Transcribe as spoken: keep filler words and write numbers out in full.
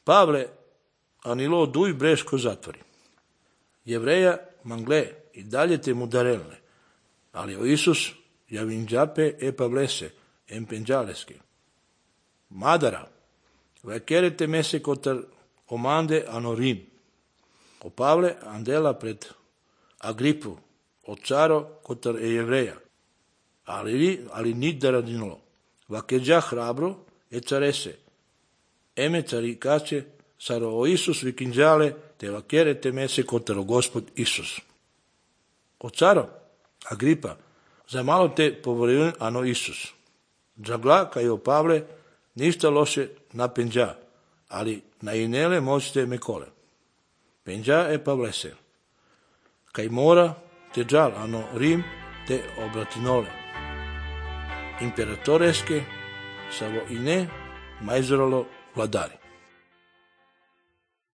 Pavle, anilo duj breško zatvori. Jevreja mangle i dalje te mudarelne, ali o Isus javinđape e pavlese, empenđaleske. Madara, vakerete mese kotar omande anorim. O Pavle andela pred Agripu, o caro kotar e jevreja, ali, ali nit da radinolo. Vakeđa hrabro e carese, eme carikaće, saro o Isus vikinđale, te vakerete mese kotar o Gospod Isus. O caro, Agripa, za malo te povoril ano Isus. Džagla, kaj o Pavle, ništa loše na penđa, ali na inele možete me kole. Penđa e Pavlese. Kaj mora, te džal, ano Rim, te obratinole. Imperatoreske, savo i ne, majzoralo vladari.